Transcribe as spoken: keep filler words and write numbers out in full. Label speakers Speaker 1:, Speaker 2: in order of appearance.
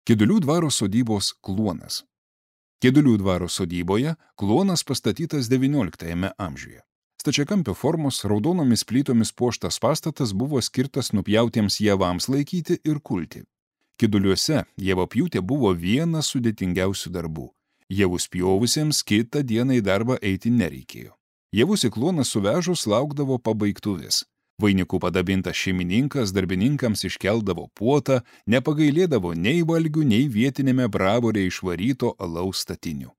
Speaker 1: Kedulių dvaro sodybos kluonas. Kedulių dvaro sodyboje kluonas pastatytas devynioliktajame amžiuje. Stačiakampio formos raudonomis plytomis puoštas pastatas buvo skirtas nupjautiems javams laikyti ir kulti. Keduliuose javapjūtė buvo vienas sudėtingiausių darbų. Javus pjovusiems kitą dieną į darbą eiti nereikėjo. Javus į kluoną suvežus laukdavo pabaigtuvės. Vainikų padabintas šeimininkas darbininkams iškeldavo puotą, nepagailėdavo nei valgių, nei vietinėme bravore išvaryto alaus statinių.